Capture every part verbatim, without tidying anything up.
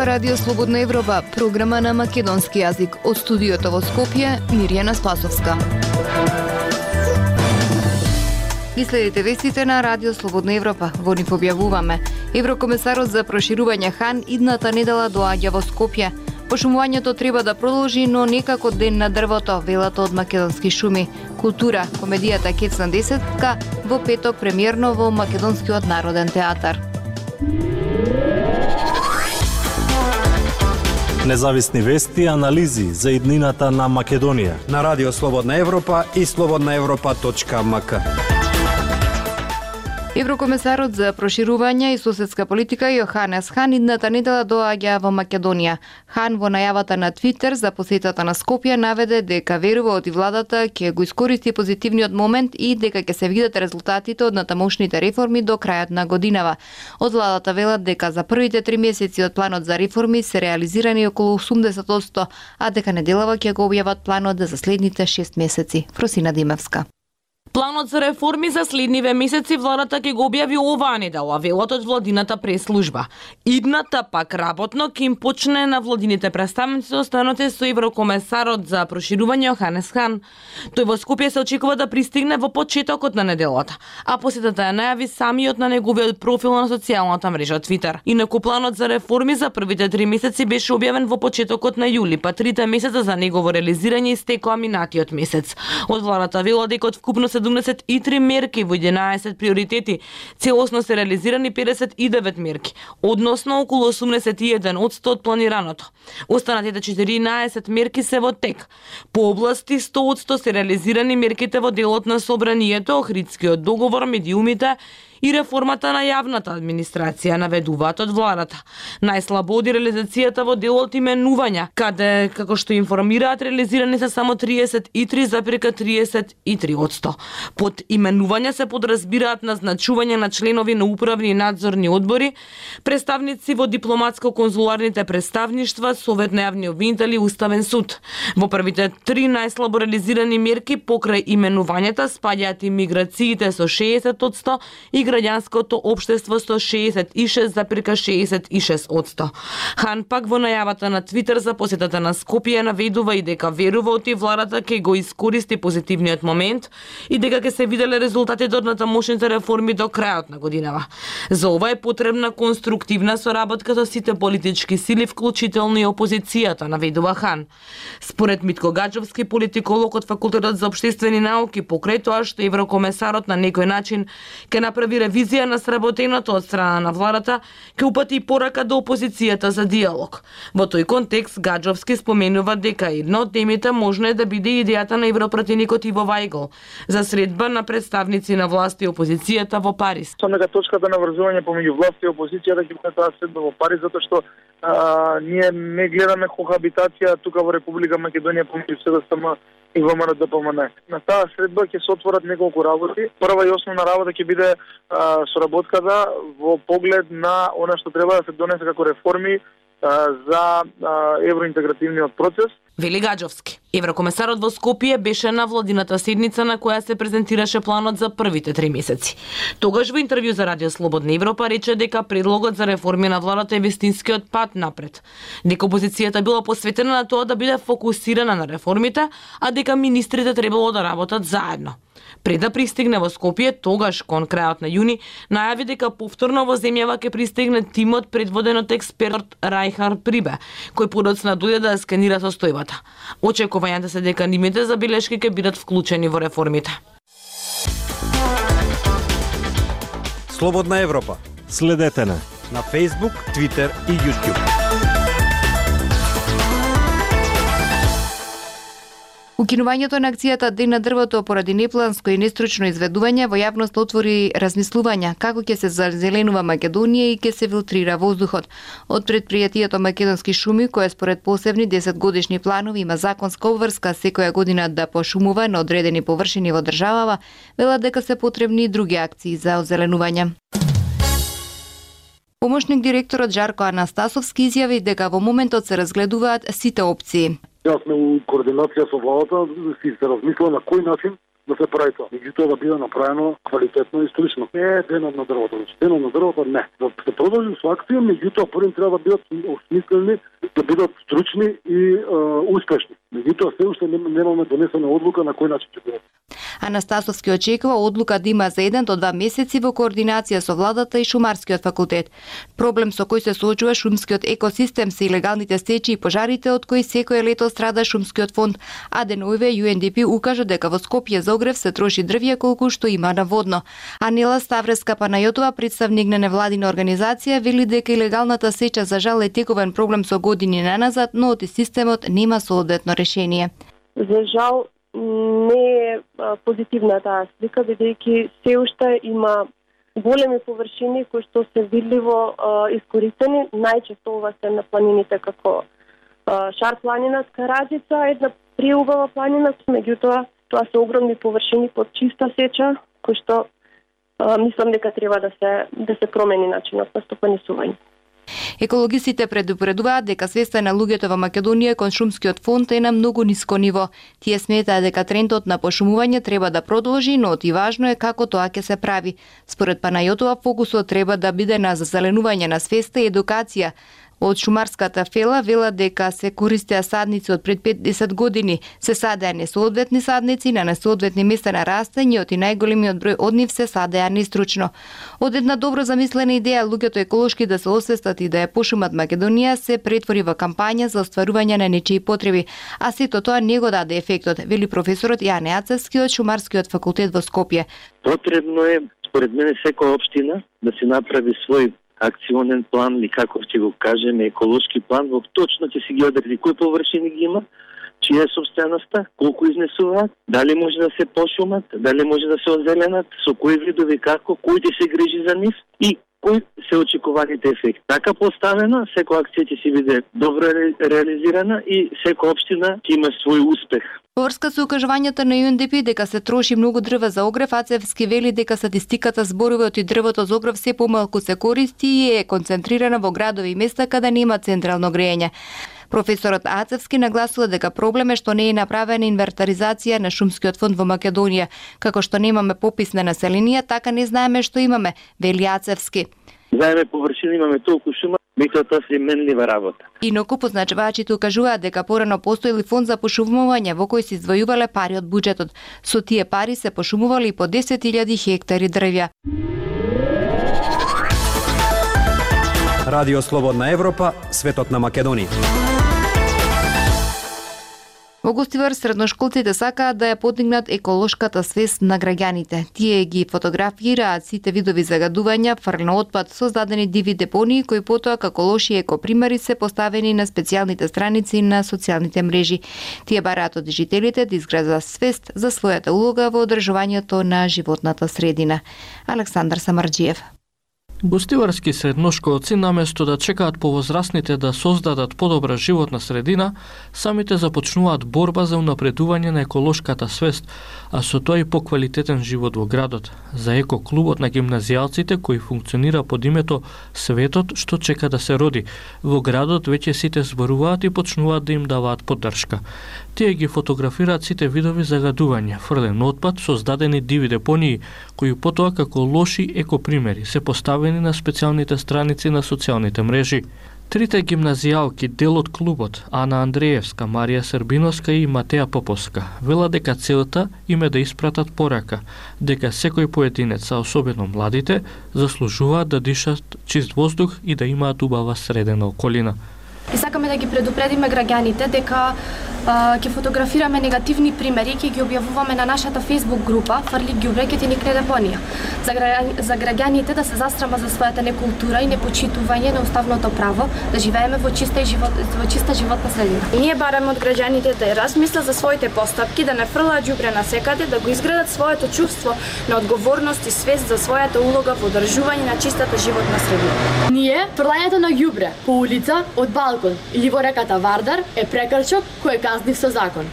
Ова Радио Слободна Европа, програма на македонски јазик. Од студиото во Скопје, Мирјана Спасовска. Ги следите вестите на Радио Слободна Европа. Во нив објавуваме: Еврокомесарот за проширување Хан идната недела доаѓа во Скопје. Пошумувањето треба да продолжи, но некако ден на дрвото, велат од Македонски шуми. Култура, комедијата Кецна десетка во петок премиерно во Македонскиот народен театар. Независни вести и анализи за иднината на Македонија на Радио Слободна Европа и слободна европа точка ем ка. Еврокомесарот за проширување и соседска политика Јоханес Хан идната недела доаѓа во Македонија. Хан во најавата на Твитер за посетата на Скопје наведе дека верува од владата ќе го искористи позитивниот момент и дека ќе се видат резултатите од натамошните реформи до крајот на годинава. Од владата велат дека за првите три месеци од планот за реформи се реализирани околу осумдесет одсто, а дека неделава ќе го објават планот за следните шест месеци. Фросина Димевска. Планот за реформи за следниве месеци владата ќе го објави оваа недела, велат од владината прес-служба. Идната пак работно ќе им почне на владините представници останоте со еврокомесарот за проширување Јоханес Хан. Тој во Скопје се очекува да пристигне во почетокот на неделата, а посетата ја најави самиот на неговиот профил на социјалната мрежа Твитер. Инаку планот за реформи за првите три месеци беше објавен во почетокот на јули, па трите месеца за негово реализирање истекоа минатиот месец. Од владата велат дека од вкупно седумдесет и три мерки во единаесет приоритети, целосно се реализирани педесет и девет мерки, односно околу осумдесет и еден одсто од планираното. Останатите четиринаесет мерки се во тек. По области сто одсто се реализирани мерките во делот на собранието, Охридскиот договор, медиумите и реформата на јавната администрација, наведуваат од владата. Најслабо оди реализацијата во делот именувања, каде, како што информираат, реализирани се само триесет и три зарез триесет и три одсто. Под именувања се подразбираат назначување на членови на управни и надзорни одбори, представници во дипломатско-конзуларните представништва, Совет на јавни обвинители и Уставен суд. Во првите три најслабо реализирани мерки покрај именувањата спаѓаат имиграциите со шеесет одсто и граѓанското општество со шеесет и шест зарез шеесет и шест одсто. Хан пак во најавата на Твитер за посетата на Скопје наведува и дека верува од владата ќе го искористи позитивниот момент и дека ќе се виделе резултатите од натамошните реформи до крајот на годинава. За ова е потребна конструктивна соработка со сите политички сили, вклучително и опозицијата, наведува Хан. Според Митко Гаџовски, политиколог од Факултетот за општествени науки, покрај тоа што еврокомесарот на некој начин ќе направи ревизија на сработеното од страна на владата, ќе упати и порака до опозицијата за диалог. Во тој контекст Гаџовски споменува дека една од темите можно е да биде идејата на европратеникот Иво Вајгл за средба на представници на власт и опозицијата во Париз. Самата точката на врзување помеѓу власт и опозицијата ќе биде таа средба во Париз, затоа што а, ние не гледаме кохабитација тука во Република Македонија помеѓу СДСМ и Вэ Ем Р Д П М Н. На таа средба ќе се отворат неколку работи. Прва и основна работа ќе биде а, соработката во поглед на она што треба да се донесе како реформи а, за а, евроинтегративниот процес. Вели Гаџовски. Еврокомесарот во Скопје беше на владината седница на која се презентираше планот за првите три месеци. Тогаш во интервју за Радио Слободна Европа рече дека предлогот за реформи на владата е вистинскиот пат напред. Дека опозицијата била посветена на тоа да биде фокусирана на реформите, а дека министрите требало да работат заедно. Пред да пристигне во Скопје, тогаш кон крајот на јуни, најави дека повторно во земјава ќе пристигне тимот предводен од експерт Рајхар Прибе, кој подоцна дојде да сканира состојбата. Очекувањата се дека нивните забелешки ќе бидат вклучени во реформите. Слободна Европа. Следете на на Facebook, Twitter и YouTube. Укинувањето на акцијата Ден на дрвото поради непланско и нестручно изведување во јавност отвори размислувања како ќе се зазеленува Македонија и ќе се филтрира воздухот. Од предпријатието Македонски шуми, кое според посебни десетгодишни планови има законска обврска секоја година да пошумува на одредени површини во државава, велат дека се потребни и други акции за озеленување. Помошник директорот Жарко Анастасовски изјави дека во моментот се разгледуваат сите опции. Јас сме у координација со владата, си се размислува на кој начин да се прави тоа. Меѓутоа да биде направено квалитетно и стручно. Не е денот на дрвото, значи денот на дрвото не. Да се продолжи со акција, меѓутоа првим треба да бидат осмислени, да бидат стручни и е, успешни. Меѓутоа се уште немаме донесена одлука на кој начин ќе биде. Анастасовски очекува одлука да има за еден до два месеци во координација со владата и Шумарскиот факултет. Проблем со кој се соочува шумскиот екосистем се илегалните сечи и пожарите од кои секој лето страда шумскиот фонд, а деновиве Ю Ен Ди Пи укажа дека во Скопје за огрев се троши дрвје колку што има наводно. Анела Ставреска Панајотова, представник на невладина организација, вели дека илегалната сеча за жал е тековен проблем со години наназад, но од системот нема соодветно решение. За жал не е позитивна таа слика, бидејќи се уште има големи површини кои што се видливо искористени. Најчесто ова се на планините како Шар планина, Скараџица, една приубава планина, меѓутоа тоа се огромни површини под чиста сеча, кои што а, мислам дека треба да се да се промени начинот на стопанисување. Екологисите предупредуваат дека свеста на луѓето во Македонија кон шумскиот фонд е на многу ниско ниво. Тие сметаат дека трендот на пошумување треба да продолжи, но и важно е како тоа ќе се прави. Според Панајотова, фокусот треба да биде на зазеленување на свеста и едукација. Од шумарската фела велат дека се користеа садници од пред петдесет години. Се садеа несоодветни садници на несоодветни места на растење, и најголемиот број од нив се садеа нестручно. Од една добро замислена идеја луѓето еколошки да се освестат и да ја пошумат Македонија се претвори во кампања за остварување на нечии потреби, а сето тоа не го даде ефектот, вели професорот Јане Ацевски од Шумарскиот факултет во Скопје. Потребно е, според мене, секоја општина да се направи свој акционен план или како ќе го кажеме еколошки план, во точно ќе си ги одреди кои површини ги има, чија е собственоста, колку изнесуваат, дали може да се пошумат, дали може да се озеленат, со кои видови како, кој ќе се грижи за нив и кои се очекуваните ефекти. Така поставена, секоја акција ќе си биде добро реализирана и секоја општина ќе има свој успех. Во врска со укажувањата на Ю Ен Ди Пи дека се троши многу дрве за огрев, Ацевски вели дека статистиката зборува од дрвото за огрев се помалку се користи и е концентрирана во градови и места каде нема централно грејење. Професорот Ацевски нагласува дека проблем е што не е направена инвентаризација на шумскиот фонд во Македонија. Како што немаме попис на население, така не знаеме што имаме, вели Ацевски. Знаеме површина, имаме толку шума, меѓутоа тоа се менлива работа. Инаку позначувачите укажуваат дека порано постоели фонд за пошумување во кој се издвојувале пари од буџетот. Со тие пари се пошумували и по десет илјади хектари дрвја. Радио Слободна Европа, светот на Македонија. Во Гостивар средношколците сакаат да ја подигнат еколошката свест на граѓаните. Тие ги фотографираат сите видови загадувања, фрлен отпад, создадени диви депонии кои потоа како лоши екопримери се поставени на специјалните страници на социјалните мрежи. Тие бараат од жителите да изградат свест за својата улога во одржувањето на животната средина. Александар Самарџиев. Гостиварски средношколци, наместо да чекаат повозрасните да создадат подобра животна средина, самите започнуваат борба за унапредување на еколошката свест, а со тоа и поквалитетен живот во градот. За екоклубот на гимназијалците, кој функционира под името Светот што чека да се роди, во градот веќе сите зборуваат и почнуваат да им даваат поддршка. Тие ги фотографираат сите видови загадувања, фрлен отпад, создадени диви депонии, кои потоа како лоши екопримери се поставени на специјалните страници на социјалните мрежи. Трите гимназијалки, дел од клубот, Ана Андреевска, Марија Србиновска и Матеја Поповска, велат дека целта им е да испратат порака, дека секој поединец, а особено младите, заслужуваат да дишат чист воздух и да имаат убава средена околина. И сакаме да ги предупредиме граѓаните дека а, ќе фотографираме негативни примери, ќе ги објавуваме на нашата Facebook група Фрли ѓубре ќе ти никне депонија. За, гра... за граѓаните да се застрама за својата некултура и непочитување на уставното право да живееме во чиста и живот во чиста животна средина. Ние бараме од граѓаните да размислат за своите постапки, да не фрлаат ѓубре насекаде, да го изградат своето чувство на одговорност и свест за својата улога во одржување на чистата животна средина. Ние фрлањето на ѓубре по улица, од балкон или во реката Вардар е прекршок кој е казнив со закон.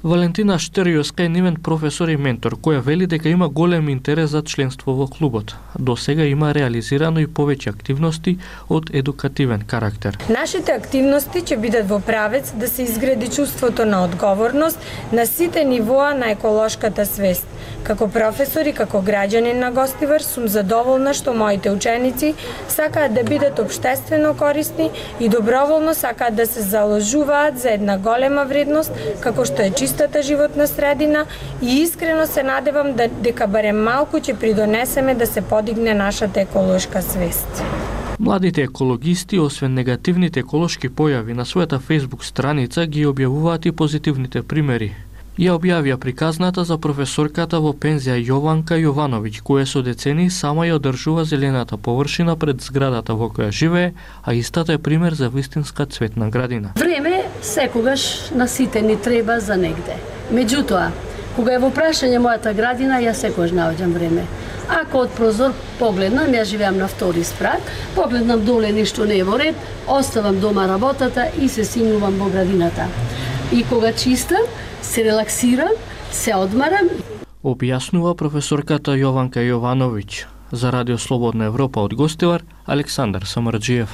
Валентина Штериоска е нивен професор и ментор, која вели дека има голем интерес за членство во клубот. До сега има реализирано и повеќе активности од едукативен карактер. Нашите активности ќе бидат во правец да се изгради чувството на одговорност на сите нивоа на еколошката свест. Како професор и како граѓанин на Гостивар сум задоволна што моите ученици сакаат да бидат општествено корисни и доброволно сакаат да се заложуваат за една голема вредност како што е чистата животна средина и искрено се надевам да дека барем малку ќе придонесеме да се подигне нашата еколошка свест. Младите екологисти, освен негативните еколошки појави на својата Facebook страница, ги објавуваат и позитивните примери. Ја објавија приказната за професорката во пензија Јованка Јовановиќ, која со децени сама ја одржува зелената површина пред зградата во која живее, а истата е пример за вистинска цветна градина. Време секогаш на сите ни треба за негде. Меѓутоа, кога е во прашање мојата градина, ја секогаш наоѓам време. Ако од прозор погледнам, ја живеам на втори спрат, погледнам доле ништо не е во ред, оставам дома работата и се симнувам во градината. И кога чистам, се релаксирам, се одмарам. Објаснува професорката Јованка Јовановиќ. За Радио Слободна Европа од Гостивар, Александар Самарџиев.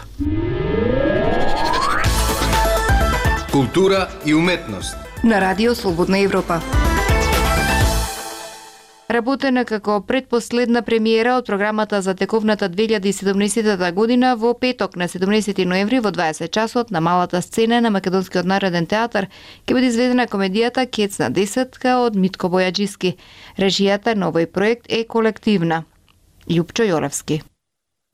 Култура и уметност. На Радио Слободна Европа. Работена како предпоследна премиера од програмата за тековната две илјади и седумнаесетта година во петок на седумнаесети ноември во дваесет часот на малата сцена на Македонскиот народен театар ќе биде изведена комедијата Кецна десетка од Митко Бојаджиски. Режијата на овој проект е колективна. Љупчо Јолевски.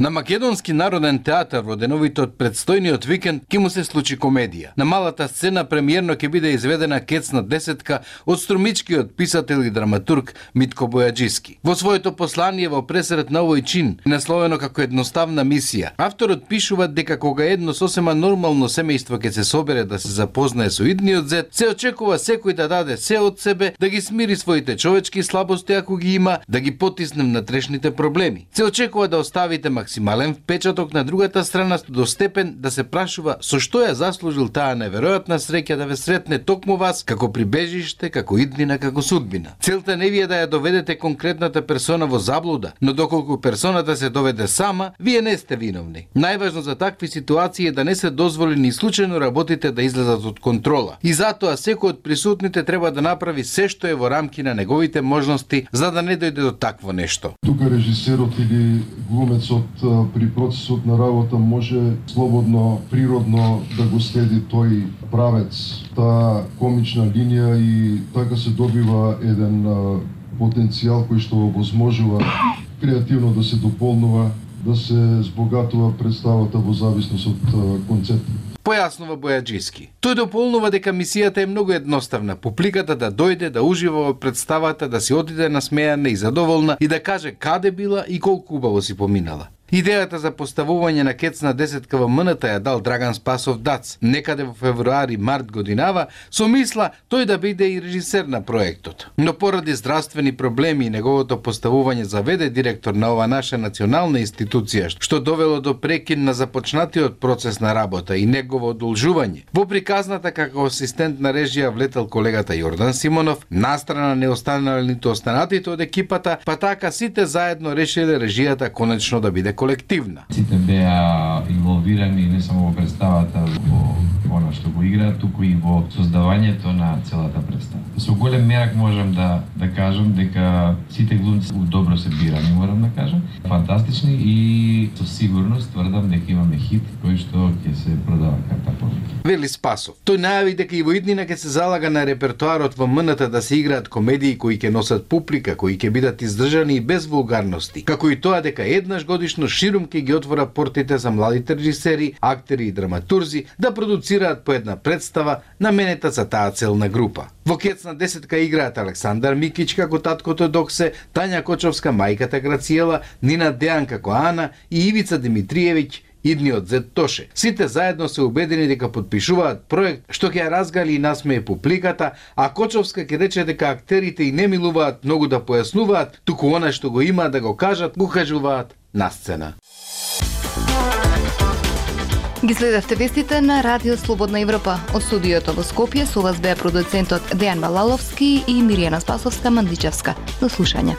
На Македонски народен театар во деновите од предстојниот викенд ќе му се случи комедија. На малата сцена премиерно ќе биде изведена Кецна десетка од струмичкиот писател и драматург Митко Бојаджиски. Во своето послание во пресрет на овој чин, насловено како едноставна мисија, авторот пишува дека кога едно сосема нормално семејство ќе се собере да се запознае со идниот зет, се очекува секој да даде се од себе, да ги смири своите човечки слабости ако ги има, да ги потисне внатрешните проблеми. Се очекува да оставите максимален впечаток на другата страна до степен да се прашува со што ја заслужил таа неверојатна среќа да ве сретне токму вас како прибежиште, како иднина, како судбина. Целта не ви е да ја доведете конкретната персона во заблуда, но доколку персоната се доведе сама, вие не сте виновни. Најважно за такви ситуации е да не се дозволи ни случајно работите да излезат од контрола. И затоа секој од присутните треба да направи се што е во рамки на неговите можности за да не дојде до такво нешто. Тука режисерот или глумецот при процесот на работа може слободно, природно да го следи тој правец, таа комична линија и така се добива еден потенцијал кој што овозможува креативно да се дополнува, да се збогатува представата во зависност од концептот. Појаснува Бојаджиски. Тој дополнува дека мисијата е многу едноставна. Публиката да дојде, да ужива во представата, да си отиде насмејана и задоволна и да каже каде била и колку убаво си поминала. Идејата за поставување на Кецна десетка во МНТ ја дал Драган Спасов Дац некаде во февруари-март годинава со мисла тој да биде и режисер на проектот. Но поради здравствени проблеми и неговото поставување заведе директор на ова наша национална институција, што довело до прекин на започнатиот процес на работа и негово одолжување. Во приказната како асистент на режија влетел колегата Јордан Симонов, настрана не останале ниту останатите од екипата, па така сите заедно решиле режијата конечно да биде колективна. Сите беа инволвирани не само во представата, во она што го играат, туку и во создавањето на целата представа. Со голем мерак можам да да кажам дека сите глумци добро се бирани, морам да кажам, фантастични и со сигурност тврдам дека имаме хит кој што ќе се продава карта повеќе. Вели Спасов. Тој најави дека и во иднина ќе се залага на репертоарот во МНТ да се играат комедии кои ќе носат публика, кои ќе бидат издржани и без вулгарности, како и тоа дека еднаш годишно ширум ќе ги отвора портите за младите режисери, актери и драматурзи да продуцираат по една представа наменета за таа целна група. Во Кецна десетка играат Александар Микич како таткото Доксе, Тања Кочовска мајката Грациела, Нина Дејан како Ана и Ивица Димитриевиќ идниот зет Тоше. Сите заедно се убедени дека подпишуваат проект што ќе ја разгали и насмее публиката, а Кочовска ќе рече дека актерите и не милуваат многу да појаснуваат, туку она што го има да го кажат, го кажуваат на сцена. Ги следевте вестите на Радио Слободна Европа. Од студиото во Скопје со вас беа продуцентот Дејан Балаловски и Миријана Спасовска-Мандичевска. До слушање.